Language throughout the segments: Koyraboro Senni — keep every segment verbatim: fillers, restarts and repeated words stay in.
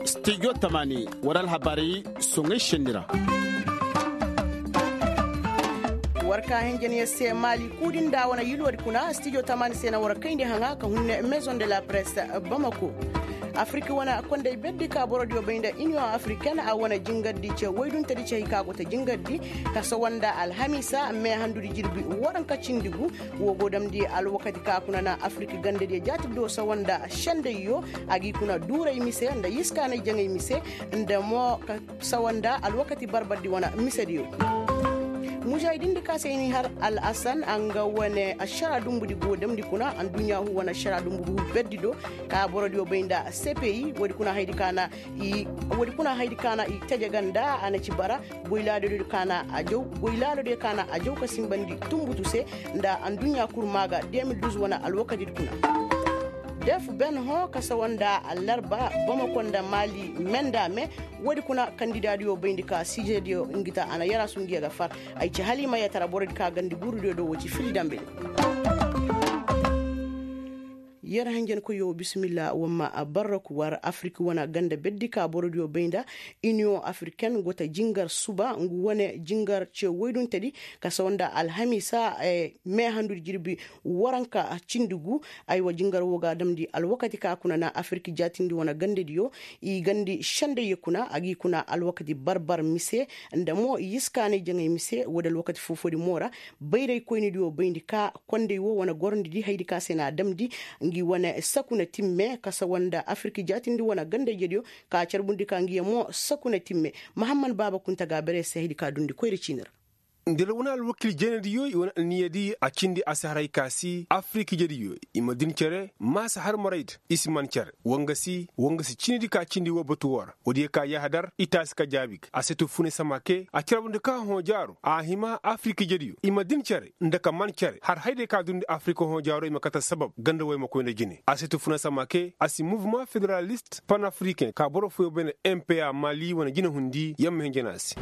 Studio tamaani, war alhabaari soŋay senni ra. War ka hinjaniya se maali kuudi nda wane yilwadi kuna studio tamaani se na war kayndi haŋa ka hunne maison de la presse bamako. Afiriki wane kondey berdi ka borodiyo bay nda iniyoŋ afiriken a wane jingardi ce wayduntedi ce hay ka go ta jingardi ka sawa nda alhamiisa mee handudi jirbi waranka cindi gu. Wo go damndi alwakati ka kuna na afiriki gandadiyo jaatibdo sawa nda sendayyo a g'i kuna duuray mise nda yiskaanay jaŋay mise nda mo ka sawa nda alwakati barbardi wane misediyo. Mujaahidindi ka se i n'i har al asan a nga wane ašara dumbudi go damndi kuna adduɲɲaahu wane ašara dumbu berdi do ka borodiyo bay nda sepeyi woodi kuna haydi ka na i woodi kuna haydi ka na i tajaga nda a na ci bara goy laalodiyo ka na a jaw goy laalodiyo ka na a jaw ka sinbandi tunbutu se nda adduɲɲa kurma ga de mil duz wane alwakadidi kuna. Def ben hõ ka sawa nda allarba bamako nda maali me nda me. Woodi kuna kandidaadiyo bayndi ka siijediyo ngi ta a na yarasu ngiya ga far. Ay ci haliima yatara borodi ka gandi guurudiyo do wo ci fili dambe. Yer hanjankoyyo bismillah wamma barraku war afiriki wane ganda berdi ka borodiyo bay nda iniyoŋ afiriken go ta jingar suba ngu wane jingar ce woyduntedi ka sawa nda alhamiisa. Mee handudi jirbi waranka cindi gu. Aywa jingar wo ga damndi alwakati ka kuna na afiriki jaatindi wane gandadiyo i gandi sendayyo kuna a g'i kuna alwakati barbar mise nda mo yiskaanay jaŋay mise woodi alwakati foo-foodi mo ra. Bayraykoynidiyo bayndi ka kondey wo wane gorondidi haydi ka se na a damndi ngi wane sakuna timme ka sawa nda afiriki jaatindi wane gandayjediyo ka carbundi ka ngiya mo sakuna timme. Mahamman baaba kunta ga a bare se haydi ka dundi koyra ciini ra. Nda wane alwakiil jeenediyo i wane anniya di a cindi a si haray ka si afirikijediyo i ma din cere maasa har maray da i si man cere woo nga si woo nga si ciini di ka cindi woo batu woo ra woodiyo ka yahadar i taasi ka jaabi ga a se tu funay samake a carbundi ka hõ jaaro a hima afirikijediyo i ma din cere nda ka man cere har hayday ka dundi afirika hõ jaaro i ma kate sabab ganda woo i ma koy nda jine a se tu funay samake a si muvuma federalist panafriken ka boro fooyo bay nda mpa maali wane jinehundi yer ma hin jana se.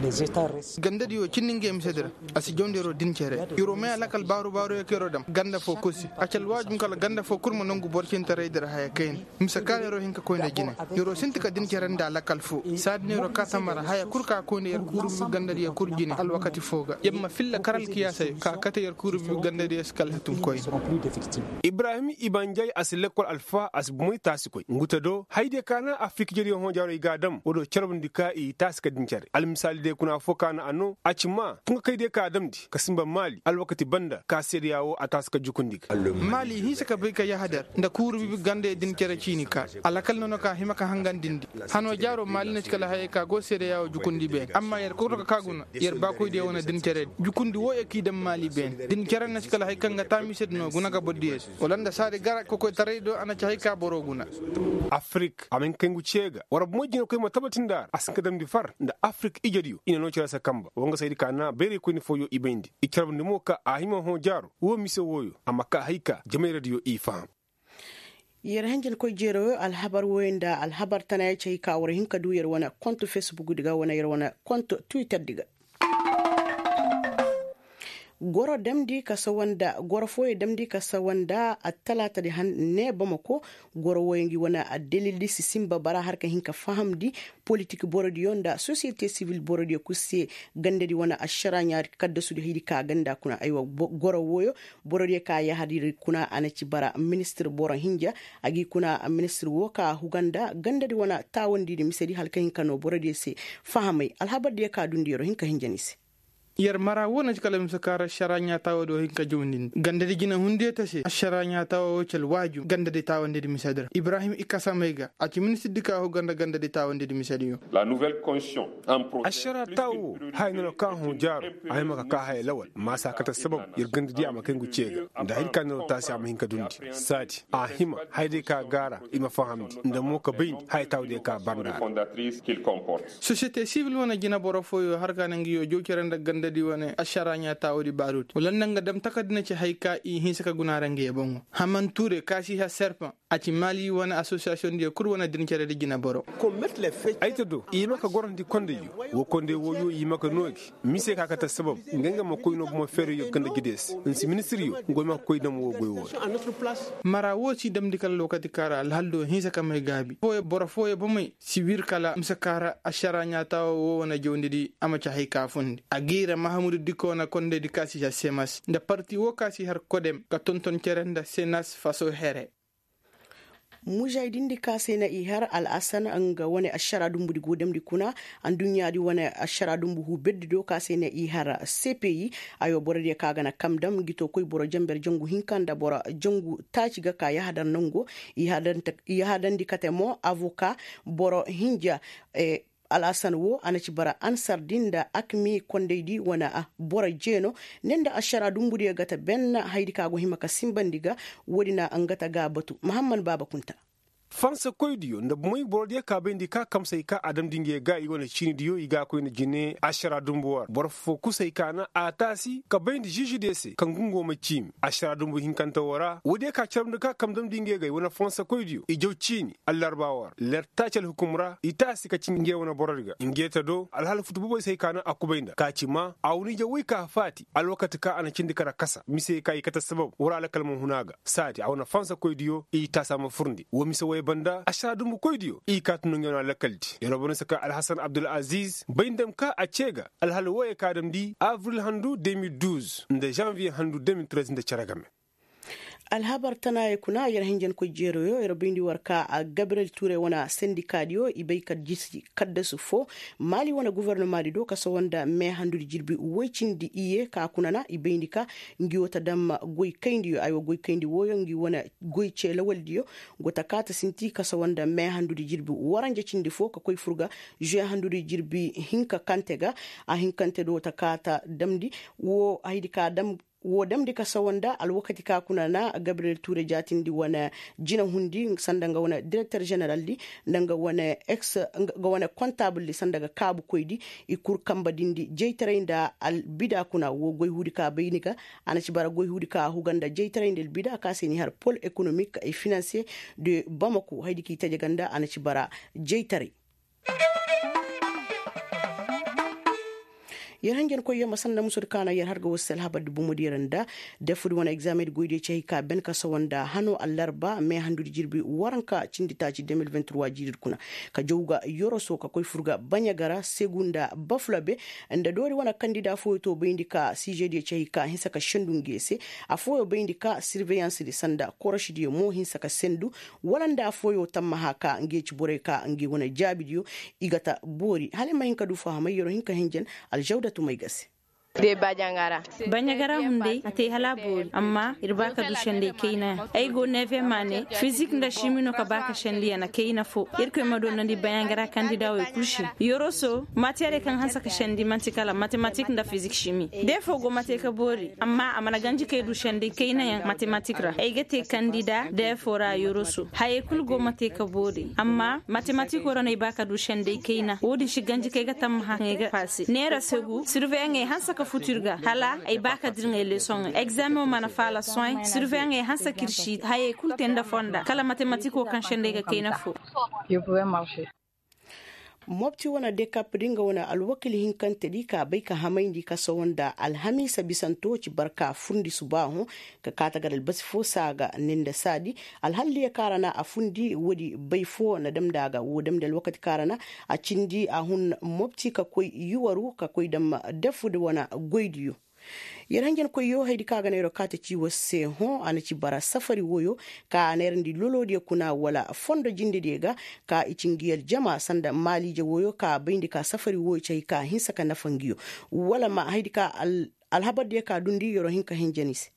Gandadiyo cindi nge misedi ra a si jawndi yeroo din cere yeroo may a lakal baaru-baaruyo ka yeroo dam ganda foo kul se a ci alwaajum kala ganda foo kul ma nongu boro cintaraydi ra haya kayna mise kaŋ ra yeroo hin ka koy nda jine. Yeroo sinti ka din cere nda a lakal foo saadi no yeroo kaa tamara haya kul ka koy nda yer kuuru bi gandadiyo kul jine alwakati foo ga yer ma filla kar alkiyaasey ka kate yer kuuru bi gandadiyo se kala si tun koyne. Ibrahim ibanjay a si lekkol alfa a si bomey taasi koy ngu te do hayadiyo ka na afirikijediyo hõ jaarey ga a dam woo do carbundi ka i taasi ka din cere almisaali day kuna affoo ka na a noo a ci maa tungakaydiyo ka a damndi ka sinba maali alwakati banda ka seedeyaa woo a taasi ka jukundi ga. Maali hinsa ka bay ka yahadar nda kuuru bibi gandey din cere ciini ka alakal nono ka hima ka hangandindi hanoo jaaroo maali na ci kala hayey ka go seedeyaa woo jukundi beene amma yer kul ka kaa guna yer baakoydiyo wane din cere jukundi wooyo k'i dam maali beene din cere na ci kala hay kaŋ ga taamisedi no guna ga bordiyo se wala nda saadi gara kokoytaray do a na ci hay ka boro guna. Afirik a ma hin kay ngu cee ga war bomo jinekoy ma tabatindi a ra a si hin ka damndi far nda afirik ijediyo i na noo cere se kanba woo nga saydi ka na bayraykoyni fooyo i bayndi i carbundi mo ka a hima hõ jaaro woo mise wooyo a ma kaa hay ka jamayradiyo i faham. Yer hanjankoy jeerooyo alhabar wooyo nda alhabar tanayaŋ ci hay ka war hin ka duu yer wane kont fesbukdi ga wane yer wane kont twitterdi ga. Goro damndi ka sawa nda goro fooyo damndi ka sawa nda attalaatadi hanne bamako. Goro wooyo ngi wane addalildi si sinba bara har ka hin ka fahamndi politik borodiyo nda sosiyete sibil borodiyo kul se gandadi wane ašaraaɲa kaddasudi haydi ka ganda kuna aywa goro wooyo borodiyo ka yahadiri kuna a na ci bara ministir boro hinja a g'i kuna ministir woo ka huga nda gandadi wane taawandidi misedi hala ka hin ka noo borodiyo se fahamay alhabardiyo ka dundi yeroo hin ka hinja ni se. Yer mara woo na ci kala mise kaŋ ra ašaraaɲa taawo do hin ka jawndindi gandadi jinehundiyo ta se ašaraaɲa taawo woo ci alwaaju gandadi taawandidi misedi ra ibrahim i kasamey ga a ci ministirdi ka huga nda gandadi taawandidi misediyo. Ašaraa taawo woo haya no na ka hõ jaaro a hima ka kaa haya lawal maasa kate sababu yer gandadiyo a ma kay ngu cee ga nda hayadi ka no na taasi a ma hin ka dundi saadi a hima hayadiyo ka gaara i ma fahamndi nda mo ka bayndi haya taawadiyo ka bar nda a ra. Sosiyete sibil wane jineboro fooyo har ka na ngiyo jaw cere nda ganda Nda di wane ašara ɲaataawoo di baaruti wala nda nga dam takardi na ci hay ka i hinsa ka guna ra nga yee boŋo. Haman ture kaasi ha serpaŋ a ci maali wane asosiyasiyoŋ diyo kul wane din cere di jineboro. Ay ta do i hima ka gorandi kondayyo. Woo konday wooyo i hima ka noo gi mise ka kate sabab nga nga ma koy noo bomo feerayyo ganda jide se. Nsi ministiryo nga wo i ma ka koy dam woo goy woo ra. Mara woo si damndi kala lookati kaa ra alhal do hinsa ka may gaabi boro fooyo bomey si wir kala mise kaa ra ašara ɲaataawoo woo wane jawndi di a ma ci hay ka fundi a gii ra mahamudu dikoo na kondaydi ka si har semas nda parti woo ka si har kodem ka tonton cere nda senas faso here. Mujay din di ka se na i har al'asan nga wane ašara dumbu di go damndi kuna. Adduɲɲa di wane ašara dumbu huu berdi do ka se na i har cpi. Ayo borodiyo ka ga na kam dam ngi to koy boro jenber jangu hinka nda boro jangu taaci ga ka yahadar nango. I yahadandi kate mo avoka boro hinja. Al'asan woo a na ci bara ansar di nda akmi kondaydi wane boro jeeno ne nda ašara dumbudiyo ga ta ben hayadi ka go hima ka sinbandi ga. Woodi na nga ta ga a batu mahamman baaba kunta. Fansa koydiyo nda bomey borodiyo ka bayndi ka kamsay ka a damndi nge ga i wane ciinidiyo i ga a koyna jine ašara dumbu woo ra boro foo kusay ka na a taasi ka bayndi žižidiyo se kaŋ ga ngu ma ciimi ašara dumbu hinkante woo ra woodiyo ka carabndi ka kam damndi nge ga i wane fansa koydiyo i jaw ciini. Allarba woo ra ler taaci alhukum ra i taasi ka ci nge wane borodi ga nge ta do alhala futu boboy se hay ka na a kubay nda ka ci ma a wane ije woy ka faati alwakati ka a na cindi kara kasa mise ka i kate sabab woo ra alakal ma hun a ga saadi a wane fansa koydiyo i taasi a ma furndi woo mise woy banda ašara dumbu koydiyo i kaati no nge wane alakaldi yer wo banda se ka alhasan abdul aziz bay ndam ka a cee ga alhala wooyo ka damndi abril handu deux mille douze nda žanviye handu deux mille treize nda cere game. Alhabar tanaayey kuna yer hinjankoy jeeroyo yer bayndi war ka gabriyel tuure wane sendikaadiyo i bay ka jisi kaddasu foo maali wane gofornomaadi do ka sawa nda meehandudi jirbi woy cindi iyye ka kuna na i bayndi ka ngi wo ta dam goy kayndi yo ay wo goy kayndi wooyo ngi wane goy cee lawaldiyo go ta kaa ta sinti ka sawa nda meehandudi jirbi waranja cindi foo ka koy fur ga žuwe handudi jirbi hinka kante ga a hinkante do ta kaa ta damndi woo haydi ka dam woo damndi ka sawa nda alwakati ka kuna na gabriyel tuure jaatindi wane jinahundi sanda nga wane direkter ženeraldi nda nga wane kontaabuldi sanda ga kaabukoydi i kul kamba dindi jaytaray nda albida kuna woo goy huudi ka bayni ga a na ci bara goy huudi ka huga nda jaytaray nda albida ka se ni har pol ekonomik e finanse de bamako haydi ka i taje ga nda a na ci bara jaytaray. Yer hanjankoyyo ma sanda musudi ka na yer har ga war se alhabardi bomodiyo ra nda defudi wane egzameŋdi goydiyo ci hay ka ben ka sawa nda hano allarba meehandudi jirbi waranka cindi taaci deux mille vingt trois jiiridi kuna ka jaw ga yoroso ka koy fur ga baɲa ga ra segu nda bafulabe nda doori wane kandida fooyo to bayndi ka sižediyo ci hay ka hinsa ka sendu nge se. Afooyo bayndi ka sirveyansdi sanda korošidiyo mo hinsa ka sendu wala nda afooyo tammaha ka nge ci borey ka nge wane jaabidiyo i ga ta boori hala ay ma hin ka du fahamay yer'o hin ka hinjan. Alžawdatu may ga se. Baɲagara hunday a te hala a boori amma ir ba ka du senday kayna yaŋ ay go neve ma ne fizik nda šimi no ka ba ka sendi yana kayna fo. Irkoy ma doonandi baɲagara kandida wey kul se yoroso matiyarey kaŋ hanse ka sendi man'ti kala matematik nda fizik šimi de fo go ma te ka boori amma a mana ganji kay du senday kayna yaŋ matematik ra ay ga te kandida de fo ra yoroso hayey kul go ma te ka boori amma matematiko ra no ay ba ka du senday kayna wo-din si ganji kay ga tammaha kaŋ ay ga paase neera segu sirveyaŋey hanse ka futu ir ga hala ay ba ka dira ŋey lesoŋey egzameŋo mana faala sohãy sirveyaŋey hanse ka ir si hayey kul te nda fonda kala matematiko kaŋ senday ga kayna fo. Mopti wane dekap di nga wane alwakil hinkante di ka bay ka hamayndi ka sawa nda alhamiisa bisanto ci barka furndi subaaho ka kaata gar albasi fo saa ga ne nda saadi alhalliya kaŋ a ra na a fundi woodi bay fo na damndi a ga woo damndi alwakati kaŋ a ra na a cindi a hun mopti ka koy yuwaru ka koy dam dafudi wane goydiyo. Yer hanjankoyyo haydi kaŋ a ga neeroo kaate ci war se hõ a na ci bara safari wooyo ka a neerandi loloodiyo kuna wala fondo jindediyo ga ka i ci ngi aljama sanda maaliije wooyo ka bayndi ka safari wooyo ci hay ka hinsa ka nafa ngiyo wala ma haydi ka alhabardiyo ka dundi yeroo hin ka hinja ni se.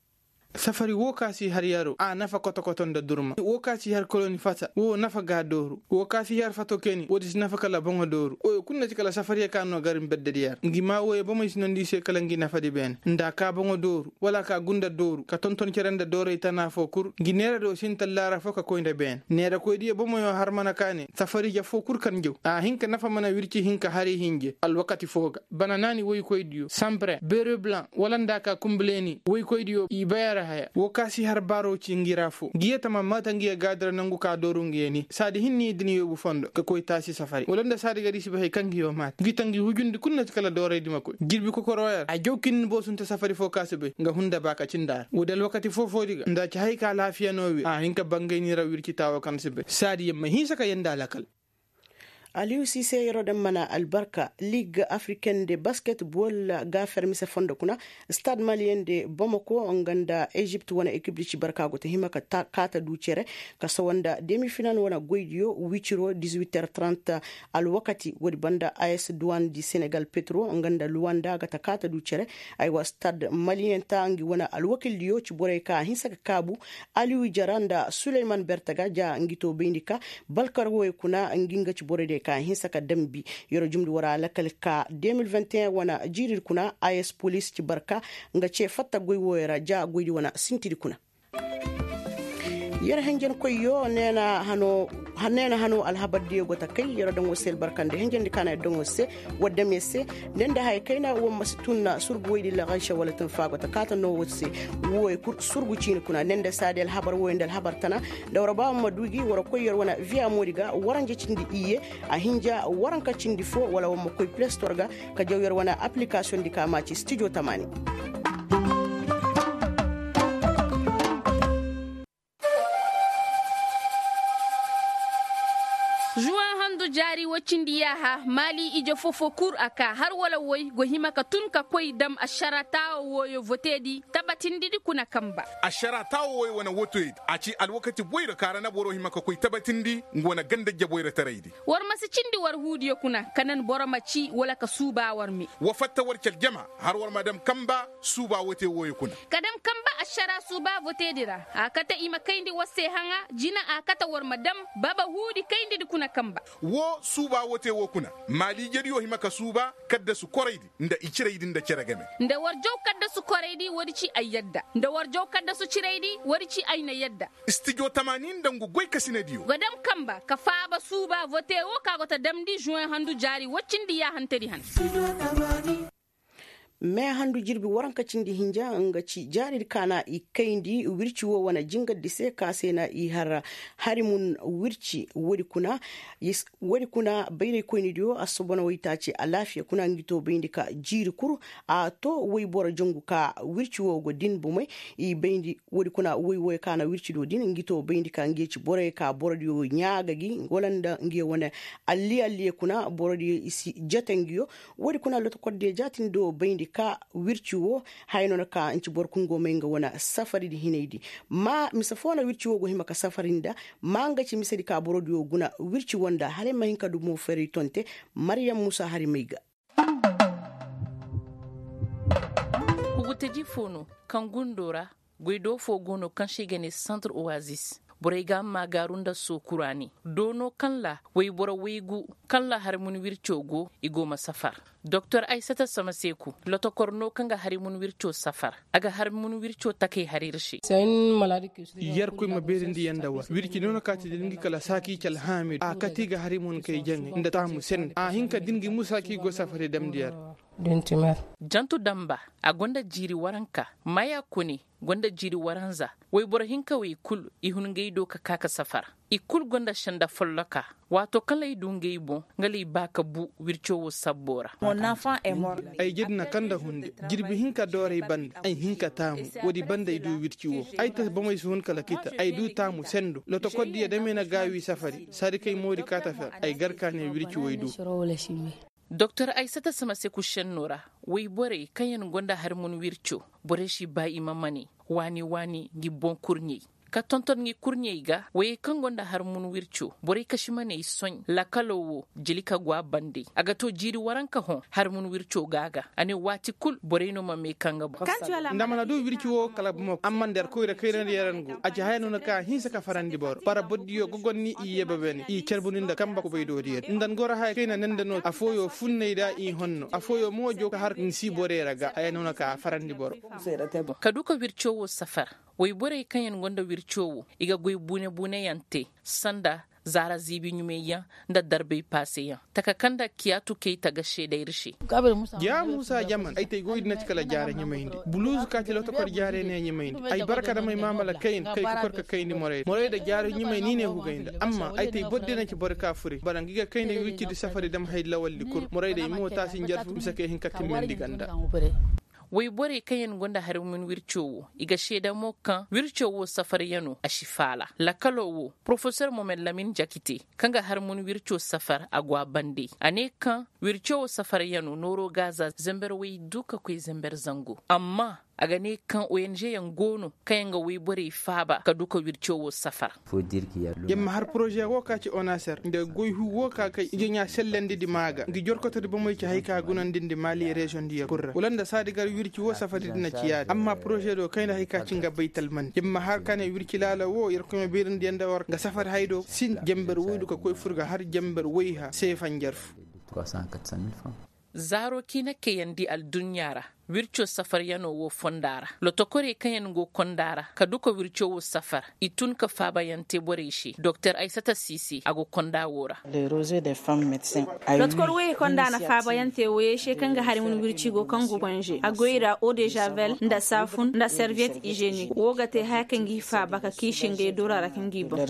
Safari woo ka si har yaroo a nafa koto-koto nda durma woo ka si har koloni fasa woo nafa ga a dooru. Woo ka si har fato keni woodi si nafa kala boŋo dooru woyo kul na ci kala safariyo ka no gar nbeddedi yar ngi maa woyo bomey si nondi i se kala ngi nafadi beene nda a ka boŋo dooru wala a ka gunda dooru ka tonton cere nda dooray tana foo kul ngi neera do sinta laara foo ka koy nda beene neera koydiyo bomoyo har mana ka ne safari ja foo kul kaŋ jaw a hin ka nafa mana wirci hin ka hari hinje alwakati foo ga bana naani woykoydiyo sanpre bere blan wala nda a ka kumbuleeni woykoydiyo i bayara haya woo ka si har baaroo ci ngi ra foo ngi yee tama maata ngi yee gaadira nongu ka dooru ngi yee ni saadi hinni din yoobu fondo ka koy taasi safari wala nda saadi gadi si bay hay kaŋ ngi yoo maata ngi ta ngi hujundi kul na si kala dooraydi ma koy jirbi kokoroo yar a jaw ka hin ni boosunte safari foo ka si bay nga hunda ba ka cindi a ra woodi alwakati foo-foodi ga nda a ci hay ka alaafiya noo wir a hin ka bangay ni ra wirci taawo kaŋ si bay saadi yer ma hinsa ka yee nda alakal. Aliyu siise yeroo daŋ mana albarka liig afriken de basket bool ga fermise fondo kuna stad maliyen de bomoko nga nda ezipt wane ekip di ci barka go ta hima ka kaata du cere ka sawa nda demi final wane goydiyo wiciro dizuwiter trant alwakati woodi banda as duwan di senegal petro nga nda luwanda ga ta kaata du cere. Aywa stad maliyen ta ngi wane alwakildiyo ci borey ka a hinsa ka kaabu aliyu jara nda suleyman bertaga ja ngi to bayndi ka balkar wooyo kuna ngi nga ci borey day ka a hinsa ka dambi. Yeroo jumndi war a lakal ka de mil vingt et un wane jiiridi kuna as polis ci barka nga ce fatta goy wooyo ra ja goydi wane sintidi kuna. Yer henjenkoyyo neena hano alhabardiyo go ta kay yeroo daŋ war se albarka nda henjendi ka na yer daŋ war se war dam yer se. Ne nda haya kayna war ma si tun surgu woydi laganse wala tun faa go ta kaata no war se. Wooyo kul surgu ciini kuna ne nda saadi alhabar wooyo nda alhabar tana nda war ba war ma du gi war koy yer wane viya moodi ga waranje cindi iyye a hinja waranka cindi foo wala war ma koy plestor ga ka jaw yer wane aplikasiyoŋ di ka maaci stijo tamaani. Zuwan handu jaari woo cindi yaaha maali ije foo-foo kul a kaa har wala woy go hima ka tun ka koy dam ašara taawo wooyo voteedi tabatindidi kuna kamba. Ašara taawo wooyo wane voteedi a ci alwakati boyra kaara na boro hima ka koy tabatindi nga wane ganda jaboyra taraydi. War ma si cindi war huudiyo kuna ka nan boro ma ci wala ka suuba war me. Wa fatta war ci aljama har war ma dam kamba suuba wote wooyo kuna. Ka dam kamba ašara suuba voteedi ra a kate i ma kayndi war se haŋa jina a kate war ma dam baba huudi kayndidi kuna kamba. Woo suuba wote woo kuna maaliijediyo hima ka suuba kaddasu koraydi nda i ciraydi nda cere game. Nda war jaw kaddasu koraydi woodi ci ay yadda nda war jaw kaddasu ciraydi woodi ci ay na yadda. Stijo tamaani nda ngu goykasinediyo ga dam kamba ka faaba suuba vote woo ka go ta damndi zuwen handu jaari woccindi yaahantedi han. Me handu jirbi waranka cindi hinja nga ci jaaridi ka na i kayndi wirci woo wane jingardi se ka se na i har harimun wirci woodi kuna. Bayraykoynidiyo assobona waytaaci alaafiya kuna ngi to bayndi ka jiiri kul a to wayboro jangu ka wirci woo go din bomey. I bayndi woodi kuna woy wooyo ka na wirci do din ngi to bayndi ka ngi ye ci borey ka borodiyo ɲaa ga gi wala nda ngi ye wane alli alliye kuna borodiyo i si jate ngi yo. Woodi kuna lotokordiyo jaatindi do bayndi ka wirci woo haya no na ka nci boro kul go may nga wane safaridi hinaydi. Ma mise foo na wirci woo go hima ka safari nda ma nga ci misedi ka borodiyo guna wirci woo nda hala ay ma hin ka du mo fari tonte. Maryam muusa hari may ga. Kuguteji foo no kaŋ gundo ra goy do foo go no kaŋ se i ga ne santre oasis. Borey ga maagaaru nda sookuraani do no kaŋ ra wayboro waygu kaŋ ra harimun wirco go i go ma safar. Doktor aysata samaseeku lotokor no kaŋ ga harimun wirco safar. A ga harimun wirco takey har ir se. Yerkoy ma beerindi yer nda war wirci no na kaati din gi kala saaki ci alhaamidu a kati ga harimun kay jaŋay nda taamu sende a hin ka din gi musa k'i go safari damndi yer. Jantu damba a gonda jiiri waranka maya kone gonda jiiri waranza. Wayboro hinka wey kul i hun ngey do ka ka ka safara. I kul gonda senda folloka. Waato kala ay du ngey boŋ nga lay ba ka bu wirco wo sabbo ra. Ay jedi na kanda hunde jirbi hinka dooray banda ay hinka taamu. Woodi banda ay du wirci wo. Ay ta bomey si hun kala kita ay du taamu sendo lotokoddiya dame na gaawi safari saadi kay moodi kaata fer. Ay gar ka ne wirci wo ay du. Doktor aysata samaseku šennoo ra woy borey kaŋ yaŋ gonda hari mun wirco. Borey si ba i ma mane waani waani ngi boŋ kurɲey. ka tonton ngi kurɲey ga wayey kaŋ go nda harmun wirco borey kasimaney soɲ lakalo wo jeli ka go a bande a ga to jiiri waranka hõ harmun wirco ga a ga a ne waati kul borey no ma mee kaŋ ga boŋ. Nda mana du wirci wo kala bomo amma nda yer koyra kayrandi yaran go a ci haya no na ka hinsa ka farandi boro bara bordiyo ga gonni i yebebene i carbundi nda kamba kubay do diyo nda ngoro haya kayna nanda no afooyo funney da i honno afooyo mo jo ka har nsi borey ra ga haya no na ka farandi boro. Ka du ka wirco wo safar woy borey kaŋ yaŋ go nda wirco wo i ga goy buune buune yaŋ te sanda zaara ziibi ɲumay yaŋ nda darbay paase yaŋ taka kaŋ nda kiyaatu kay taga seeda ir se. Ya muusa jaman ay tay goy di na ci kala jaara ɲumayndi buluuzu ka ci lotokor jaara ne ɲumayndi ay barka damay maamala kayna kay ka kor ka kayndi morayda morayda jaara ɲumay ni ne hugayndi amma ay tay boro di na ci boro ka fure bara ngi ga kayndi wircidi safari dam hay lawaldi kul morayda i mo taasi njarfu mise kay hin ka timmandi ganda. Woy borey kaŋ yaŋ go nda harmun wirco wo i ga seeda mo kaŋ wirco wo safaryano a si faala lakalo wo porofesor momed lamin jakite kaŋ ga harmun wirco safar a go a bande a ne kaŋ wirco wo safaryano nooro gaaza zember woy du ka koy zember zango amma a ga ne kaŋ ong yaŋ go no kaŋ yaŋ ga woy borey faaba ka du ka wirco wo safar. Yer ma har poroze wo ka ci onaser nda goy hu wo ka kay ijo ɲaa sellandi di maa ga ngi jorkotodi bomey ci hay ka gunandi ndi maali reziyoŋ diyo kul ra wala nda saadi gar wirci wo safari di na ci yaadi amma poroze do kayndi hay ka ci nga baytal mandi yer ma har ka ne wirci laala wo yer koy ma bayrandi yaŋ nda war nga safari hay do sin jamber woy du ka koy fur ga har jamber woy ha seefa njarfu. Zaaro kiina kayandi alduɲɲa ra wirco safaryanoo woo fonda ra lotokorey kaŋ yaŋ go konda ra ka duka wirco woo safar i tun ka faabayaŋ te borey se doktor aysata siisi a go konda woo ra. Lotokor woyey kaŋ nda a na faabayaŋ te woyey se kaŋ ga hari wun wirci go kaŋ go konze a goy ra eau de javel nda saafun nda serviette hygienique woo ga te haya kaŋ g'i faaba ka kiisi ngey dora ra kaŋ g'i boŋ.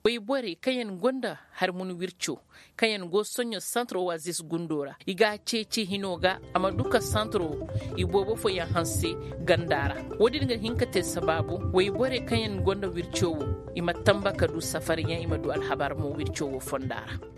Wayborey kaŋ yaŋ go nda harmun wirco kaŋ yaŋ go soɲõ santar oasis gundo ra i ga a ceeci hinoo ga a ma du ka santaro iboobo fooyaŋ hanse ganda ra. Woodin ga hin ka te sabaabu wayborey kaŋ yaŋ go nda wirco wo i ma tamba ka du safariyaŋ i ma du alhabar mo wirco wo fonda ra.